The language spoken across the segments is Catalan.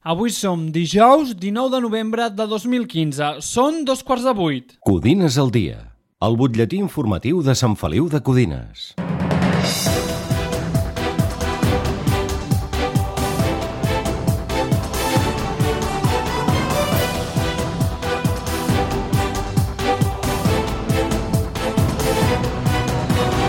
Avui som dijous 19 de novembre de 2015. Són 7:15. Codines al dia, el butlletí informatiu de Sant Feliu de Codines.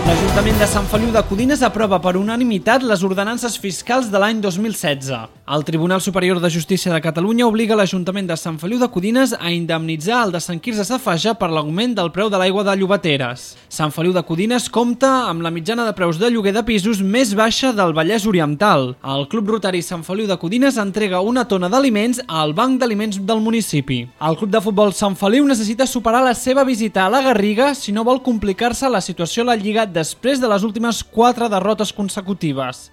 L'Ajuntament de Sant Feliu de Codines aprova per unanimitat les ordenances fiscals de l'any 2016. El Tribunal Superior de Justícia de Catalunya obliga l'Ajuntament de Sant Feliu de Codines a indemnitzar el de Sant Quirze Safaja per l'augment del preu de l'aigua de Llobateres. Sant Feliu de Codines compta amb la mitjana de preus de lloguer de pisos més baixa del Vallès Oriental. El Club Rotari Sant Feliu de Codines entrega una tona d'aliments al Banc d'Aliments del municipi. El Club de Futbol Sant Feliu necessita superar la seva visita a la Garriga si no vol complicar-se la situació a la Lliga després de les últimes 4 derrotes consecutives.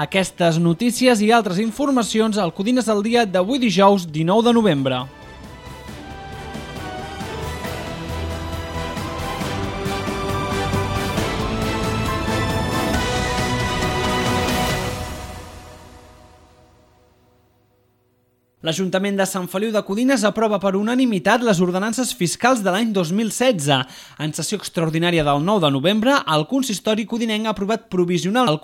Aquestes notícies i altres informacions al Codines al dia d'avui dijous 19 de novembre. L'Ajuntament de Sant Feliu de Codines aprova per unanimitat les ordenances fiscals de l'any 2016. En sessió extraordinària del 9 de novembre, el consistori codinenc ha aprovat provisional.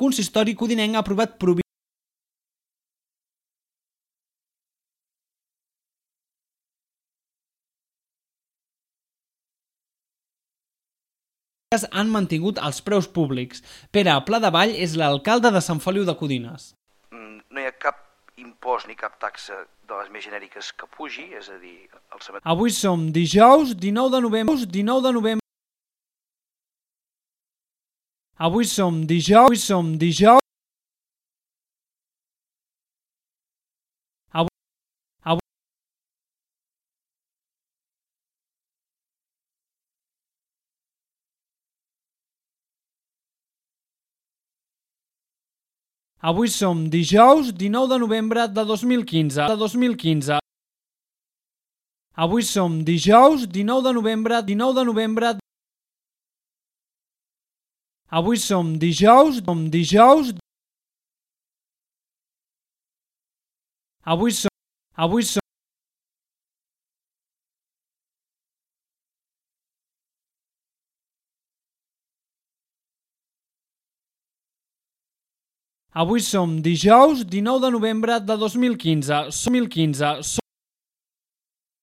Han mantingut els preus públics. Pere Pladevall és l'alcalde de Sant Feliu de Codines. No hi ha cap impost ni cap taxa de les més genèriques que pugi, és a dir... Avui som dijous 19 de novembre. Avui som dijous. Avui som dijous 19 de novembre de 2015. Avui som dijous 19 de novembre. Avui som dijous. Avui som Avui som dijous 19 de novembre de 2015.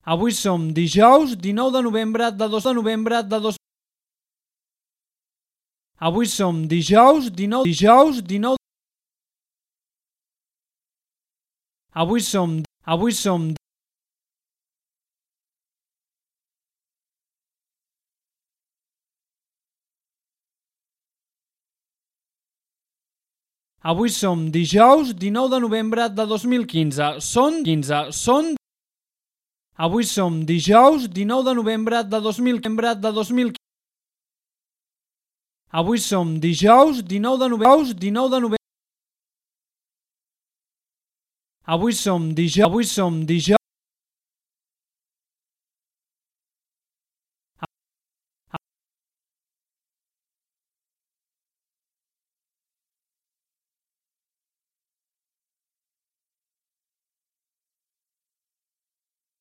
Avui som dijous 19 de novembre de 2015. Avui som dijous 19 Avui som Avui som dijous 19 de novembre de 2015. Avui som dijous 19 de novembre de 2015. Avui som dijous 19 de novembre. Avui som dijous.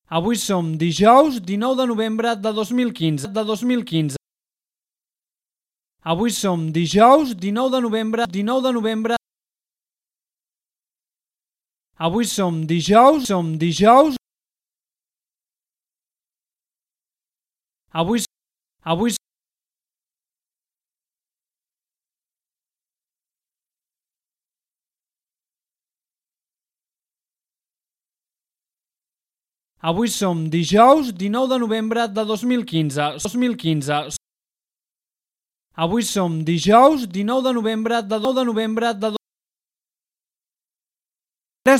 Avui som dijous 19 de novembre de 2015. Avui som dijous 19 de novembre. Avui som dijous. Avui som dijous 19 de novembre de 2015. Avui som dijous 19 de novembre de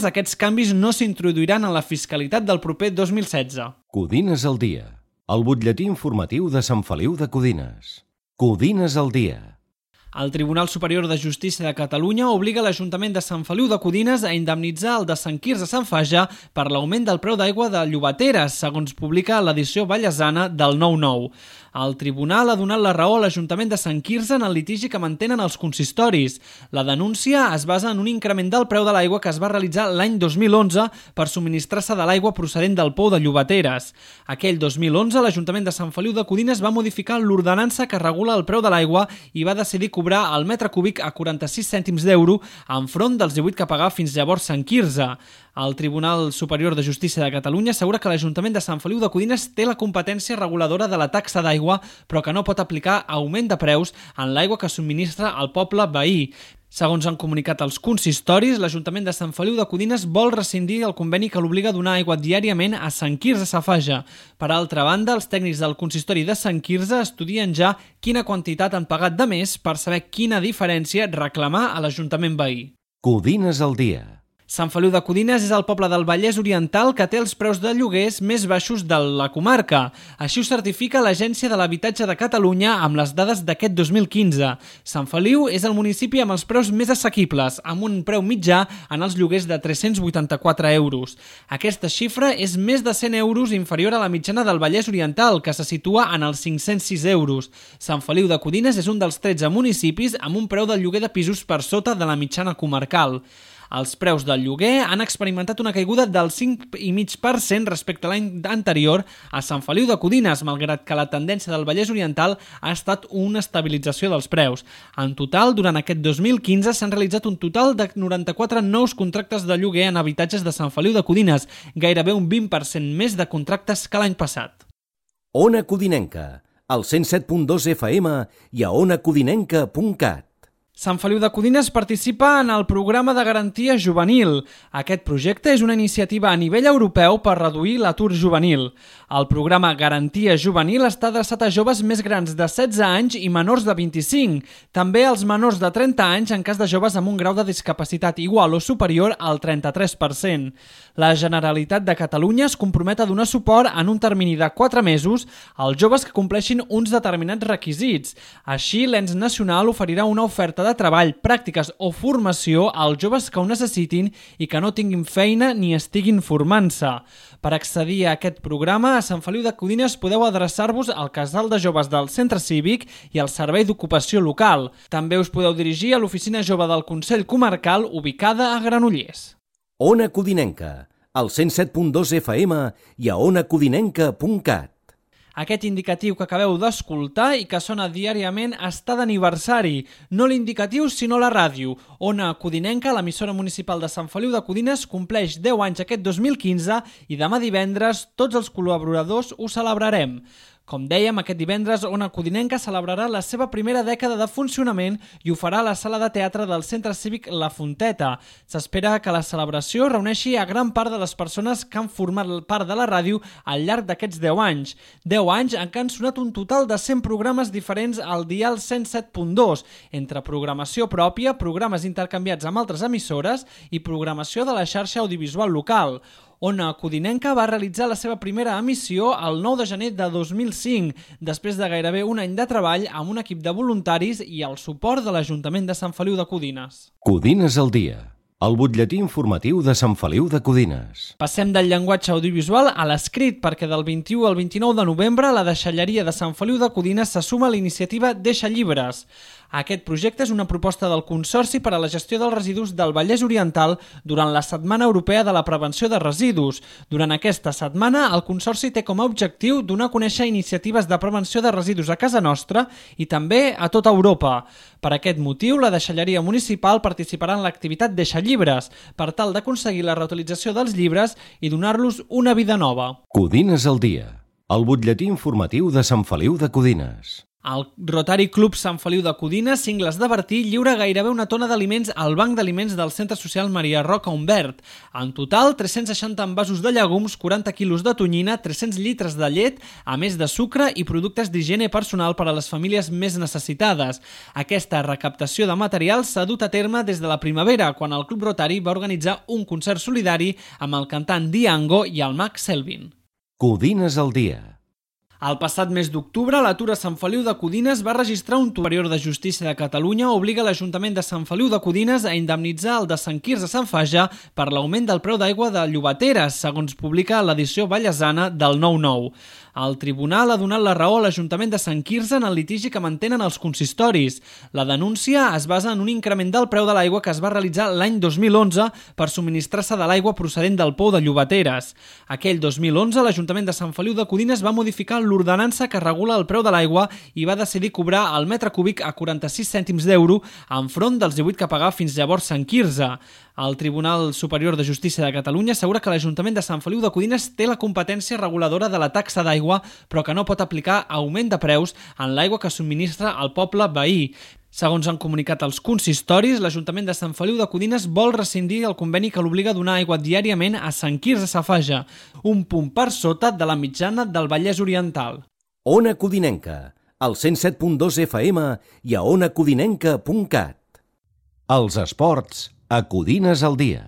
Aquests canvis no s'introduiran en la fiscalitat del proper 2016. Codines al dia, el butlletí informatiu de Sant Feliu de Codines. Codines al dia. El Tribunal Superior de Justícia de Catalunya obliga l'Ajuntament de Sant Feliu de Codines a indemnitzar el de Sant Quirze Sant Faja per l'augment del preu d'aigua de Llobateres, segons publica l'edició vallesana del 9-9. El tribunal ha donat la raó a l'Ajuntament de Sant Quirze en el litigi que mantenen els consistoris. La denúncia es basa en un increment del preu de l'aigua que es va realitzar l'any 2011 per subministrar-se de l'aigua procedent del pou de Llobateres. Aquell 2011, l'Ajuntament de Sant Feliu de Codines va modificar l'ordenança que regula el preu de l'aigua i va decidir cobrar el metre cúbic a 46 cèntims d'euro enfront dels 18 que pagava fins llavors Sant Quirze. El Tribunal Superior de Justícia de Catalunya assegura que l'Ajuntament de Sant Feliu de Codines té la competència reguladora de la taxa d'aigua, però que no pot aplicar augment de preus en l'aigua que subministra al poble veí. Segons han comunicat els consistoris, l'Ajuntament de Sant Feliu de Codines vol rescindir el conveni que l'obliga a donar aigua diàriament a Sant Quirze Safaja. Per altra banda, els tècnics del consistori de Sant Quirze estudien ja quina quantitat han pagat de més per saber quina diferència reclamar a l'Ajuntament veí. Codines al dia. Sant Feliu de Codines és el poble del Vallès Oriental que té els preus de lloguers més baixos de la comarca. Així ho certifica l'Agència de l'Habitatge de Catalunya amb les dades d'aquest 2015. Sant Feliu és el municipi amb els preus més assequibles, amb un preu mitjà en els lloguers de 384 euros. Aquesta xifra és més de 100 euros inferior a la mitjana del Vallès Oriental, que se situa en els 506 euros. Sant Feliu de Codines és un dels 13 municipis amb un preu del lloguer de pisos per sota de la mitjana comarcal. Els preus del lloguer han experimentat una caiguda del 5,5% respecte a l'any anterior a Sant Feliu de Codines, malgrat que la tendència del Vallès Oriental ha estat una estabilització dels preus. En total, durant aquest 2015 s'han realitzat un total de 94 nous contractes de lloguer en habitatges de Sant Feliu de Codines, gairebé un 20% més de contractes que l'any passat. Ona Codinenca, al 107.2 FM i a onacodinenca.cat. Sant Feliu de Codines participa en el programa de garantia juvenil. Aquest projecte és una iniciativa a nivell europeu per reduir l'atur juvenil. El programa Garantia Juvenil està adreçat a joves més grans de 16 anys i menors de 25, també als menors de 30 anys en cas de joves amb un grau de discapacitat igual o superior al 33%. La Generalitat de Catalunya es compromet a donar suport en un termini de 4 mesos als joves que compleixin uns determinats requisits. Així, l'ens nacional oferirà una oferta de treball, pràctiques o formació als joves que ho necessitin i que no tinguin feina ni estiguin formant-se. Per accedir a aquest programa, a Sant Feliu de Codines podeu adreçar-vos al casal de joves del Centre Cívic i al Servei d'Ocupació Local. També us podeu dirigir a l'Oficina Jove del Consell Comarcal, ubicada a Granollers. Ona Codinenca, al 107.2 FM i a onacodinenca.cat. Aquest indicatiu que acabeu d'escoltar i que sona diàriament està d'aniversari. No l'indicatiu, sinó la ràdio. Ona Codinenca, l'emissora municipal de Sant Feliu de Codines, compleix 10 anys aquest 2015 i demà divendres tots els col·laboradors ho celebrarem. Com dèiem, aquest divendres Ona Codinenca celebrarà la seva primera dècada de funcionament i ho farà a la sala de teatre del Centre Cívic La Fonteta. S'espera que la celebració reuneixi a gran part de les persones que han format part de la ràdio al llarg d'aquests 10 anys. 10 anys en què han sonat un total de 100 programes diferents al dial 107.2, entre programació pròpia, programes intercanviats amb altres emissores i programació de la xarxa audiovisual local. Ona Codinenca va realitzar la seva primera emissió el 9 de gener de 2005, després de gairebé un any de treball amb un equip de voluntaris i el suport de l'Ajuntament de Sant Feliu de Codines. Codines al dia, el butlletí informatiu de Sant Feliu de Codines. Passem del llenguatge audiovisual a l'escrit, perquè del 21 al 29 de novembre la deixalleria de Sant Feliu de Codines se suma a la iniciativa Deixa Llibres. Aquest projecte és una proposta del Consorci per a la gestió dels residus del Vallès Oriental durant la Setmana Europea de la Prevenció de Residus. Durant aquesta setmana, el Consorci té com a objectiu donar a conèixer iniciatives de prevenció de residus a casa nostra i també a tota Europa. Per aquest motiu, la deixalleria municipal participarà en l'activitat Deixa Llibres, per tal d'aconseguir la reutilització dels llibres i donar-los una vida nova. Codines al dia, el butlletí informatiu de Sant Feliu de Codines. El Rotary Club Sant Feliu de Codines, Cingles de Bertí, lliura gairebé una tona d'aliments al Banc d'Aliments del Centre Social Maria Roca Humbert. En total, 360 envasos de llegums, 40 quilos de tonyina, 300 litres de llet, a més de sucre i productes d'higiene personal per a les famílies més necessitades. Aquesta recaptació de material s'ha dut a terme des de la primavera, quan el Club Rotary va organitzar un concert solidari amb el cantant Diango i el mag Selvin. Codines al dia. El passat mes d'octubre, l'atur a Sant Feliu de Codines va registrar un Superior de Justícia de Catalunya obliga l'Ajuntament de Sant Feliu de Codines a indemnitzar el de Sant Quirze Sant Faja per l'augment del preu d'aigua de Llobateres, segons publica l'edició vallesana del 9-9. El tribunal ha donat la raó a l'Ajuntament de Sant Quirze en el litigi que mantenen els consistoris. La denúncia es basa en un increment del preu de l'aigua que es va realitzar l'any 2011 per subministrar-se de l'aigua procedent del pou de Llobateres. Aquell 2011, l'Ajuntament de Sant Feliu de Codines va modificar l'ordenança que regula el preu de l'aigua i va decidir cobrar el metre cúbic a 46 cèntims d'euro enfront dels 18 que pagava fins llavors Sant Quirze. El Tribunal Superior de Justícia de Catalunya assegura que l'Ajuntament de Sant Feliu de Codines té la competència reguladora de la taxa d'aigua, però que no pot aplicar augment de preus en l'aigua que subministra al poble veí. Segons han comunicat els consistoris, l'Ajuntament de Sant Feliu de Codines vol rescindir el conveni que l'obliga a donar aigua diàriament a Sant Quirze Safaja, un punt per sota de la mitjana del Vallès Oriental. Ona Codinenca, al 107.2 FM i a onacodinenca.cat. Els esports a Codines al dia.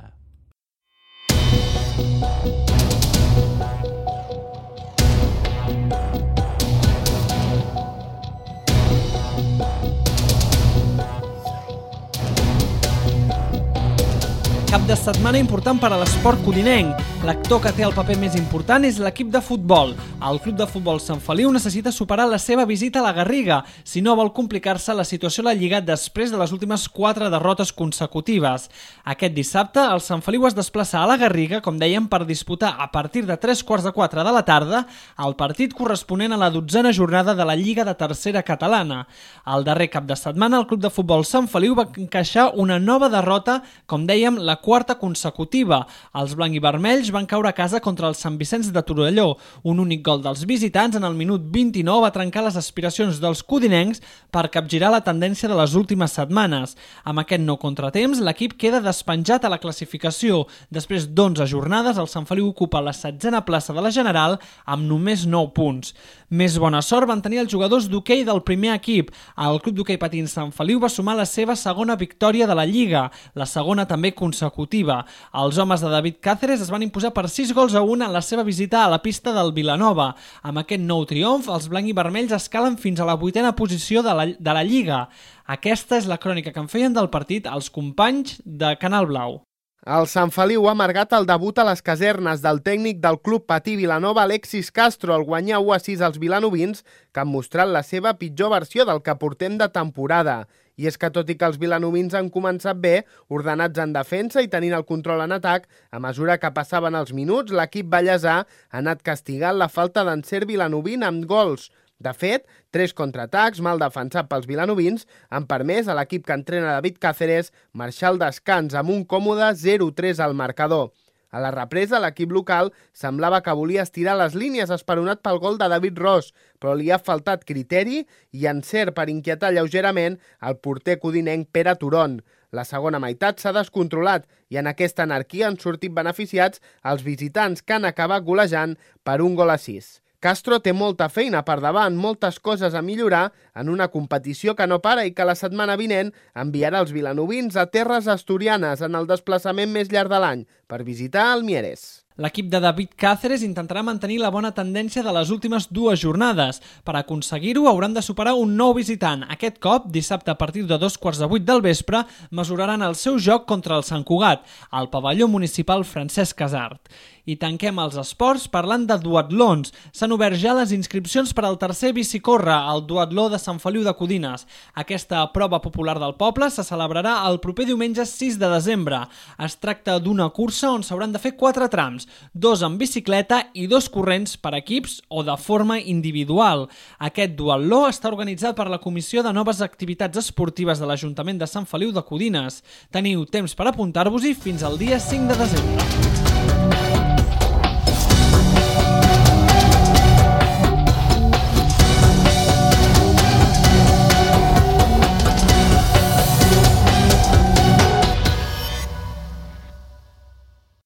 Cap de setmana important per a l'esport codinenc. L'actor que té el paper més important és l'equip de futbol. El Club de Futbol Sant Feliu necessita superar la seva visita a la Garriga, si no vol complicar-se la situació a la Lliga després de les últimes 4 derrotes consecutives. Aquest dissabte, el Sant Feliu es desplaça a la Garriga, com dèiem, per disputar a partir de 3:15 de la tarda el partit corresponent a la 12a jornada de la Lliga de Tercera Catalana. El darrer cap de setmana, el Club de Futbol Sant Feliu va encaixar una nova derrota, com dèiem, la 4a consecutiva. Els blanc i vermells van caure a casa contra el Sant Vicenç de Torelló. Un únic gol dels visitants en el minut 29 va trencar les aspiracions dels codinencs per capgirar la tendència de les últimes setmanes. Amb aquest nou contratemps, l'equip queda despenjat a la classificació. Després d'11 jornades, el Sant Feliu ocupa la 16a plaça de la General amb només 9 punts. Més bona sort van tenir els jugadors d'hoquei del primer equip. El Club d'Hoquei Patins Sant Feliu va sumar la seva segona victòria de la Lliga, la segona també consecutiva. Els homes de David Cáceres es van imposar per 6-1 en la seva visita a la pista del Vilanova. Amb aquest nou triomf, els blanc i vermells escalen fins a la 8a posició de la Lliga. Aquesta és la crònica que en feien del partit els companys de Canal Blau. El Sant Feliu ha amargat el debut a les casernes del tècnic del Club Patí Vilanova, Alexis Castro, al guanyar 1-6 als vilanovins, que han mostrat la seva pitjor versió del que portem de temporada. I és que tot i que els vilanovins han començat bé, ordenats en defensa i tenint el control en atac, a mesura que passaven els minuts, l'equip ballesà ha anat castigant la falta d'encert vilanovín amb gols. De fet, 3 contraatacs mal defensats pels vilanovins han permès a l'equip que entrena David Cáceres marxar al descans amb un còmode 0-3 al marcador. A la represa, l'equip local semblava que volia estirar les línies esperonat pel gol de David Ros, però li ha faltat criteri i encert per inquietar lleugerament el porter codinenc Pere Turon. La segona meitat s'ha descontrolat i en aquesta anarquia han sortit beneficiats els visitants que han acabat golejant per 1-6. Castro té molta feina per davant, moltes coses a millorar en una competició que no para i que la setmana vinent enviarà els vilanovins a terres asturianes en el desplaçament més llarg de l'any per visitar el Mieres. L'equip de David Cáceres intentarà mantenir la bona tendència de les últimes 2 jornades. Per aconseguir-ho hauran de superar un nou visitant. Aquest cop, dissabte a partir de 2:15 del vespre, mesuraran el seu joc contra el Sant Cugat, al pavelló municipal Francesc Casart. I tanquem els esports parlant de duatlons. S'han obert ja les inscripcions per al tercer bicicórrer, el duatló de Sant Feliu de Codines. Aquesta prova popular del poble se celebrarà el proper diumenge 6 de desembre. Es tracta d'una cursa on s'hauran de fer 4 trams, 2 en bicicleta i 2 corrents per equips o de forma individual. Aquest duatló està organitzat per la Comissió de Noves Activitats Esportives de l'Ajuntament de Sant Feliu de Codines. Teniu temps per apuntar-vos-hi fins al dia 5 de desembre.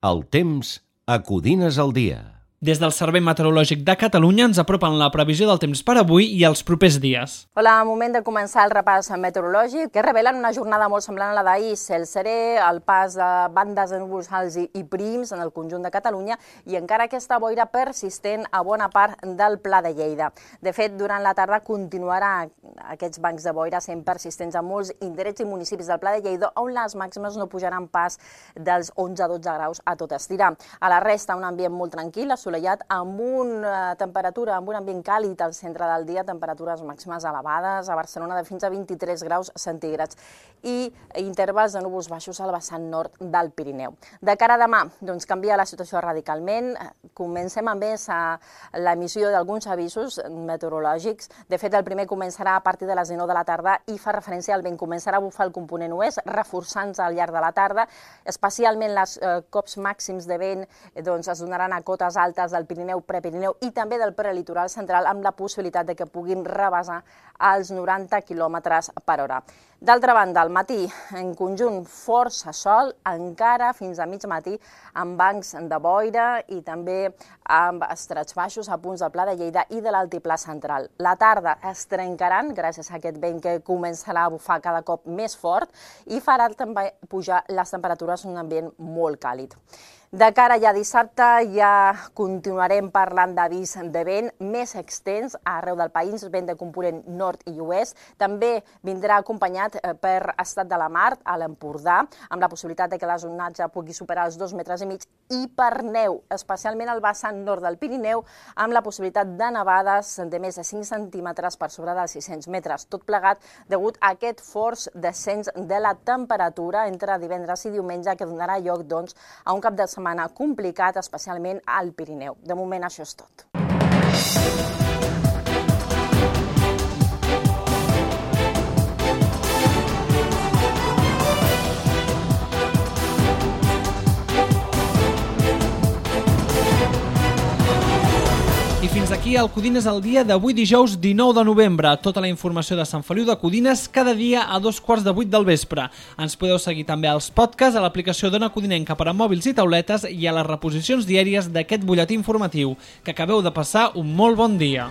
El temps a Codines al dia. Des del Servei Meteorològic de Catalunya ens apropen la previsió del temps per avui i els propers dies. Hola, moment de començar el repàs meteorològic, que revelen una jornada molt semblant a la d'ahir. Cel serè, el pas de bandes de núvols alts i prims en el conjunt de Catalunya i encara aquesta boira persistent a bona part del Pla de Lleida. De fet, durant la tarda continuarà aquests bancs de boira sent persistents a molts indrets i municipis del Pla de Lleida, on les màximes no pujaran pas dels 11-12 graus a tot estirar. A la resta, un ambient molt tranquil, assolellat, amb una temperatura, amb un ambient càlid al centre del dia, temperatures màximes elevades, a Barcelona de fins a 23 graus centígrads i intervals de núvols baixos al vessant nord del Pirineu. De cara a demà, doncs canvia la situació radicalment. Comencem amb més l'emissió d'alguns avisos meteorològics. De fet, el primer començarà a partir de les 19 de la tarda i fa referència al vent. Començarà a bufar el component oest, reforçant-se al llarg de la tarda. Especialment els cops màxims de vent es donaran a cotes altes del Pirineu, Prepirineu i també del prelitoral central, amb la possibilitat de que puguin rebasar els 90 km per hora. D'altra banda, al matí, en conjunt, força sol, encara fins a mig matí, amb bancs de boira i també amb estrets baixos a punts del Pla de Lleida i de l'altiplà central. La tarda es trencaran gràcies a aquest vent que començarà a bufar cada cop més fort i farà també pujar les temperatures en un ambient molt càlid. De cara ja a dissabte ja continuarem parlant d'avís de vent més extens arreu del país, vent de component nord i oest. També vindrà acompanyat per estat de la mar a l'Empordà, amb la possibilitat de que l'onatge pugui superar els 2,5 metres, i per neu, especialment al vessant nord del Pirineu, amb la possibilitat de nevades de més de 5 centímetres per sobre dels 600 metres. Tot plegat degut a aquest fort descens de la temperatura entre divendres i diumenge, que donarà lloc a un cap de setmana complicat, especialment al Pirineu. De moment, això és tot. I fins aquí el Codines al dia d'avui dijous 19 de novembre. Tota la informació de Sant Feliu de Codines cada dia a 7:45 del vespre. Ens podeu seguir també als podcasts, a l'aplicació d'Ona Codinenca per a mòbils i tauletes i a les reposicions diàries d'aquest butlletí informatiu. Que acabeu de passar un molt bon dia.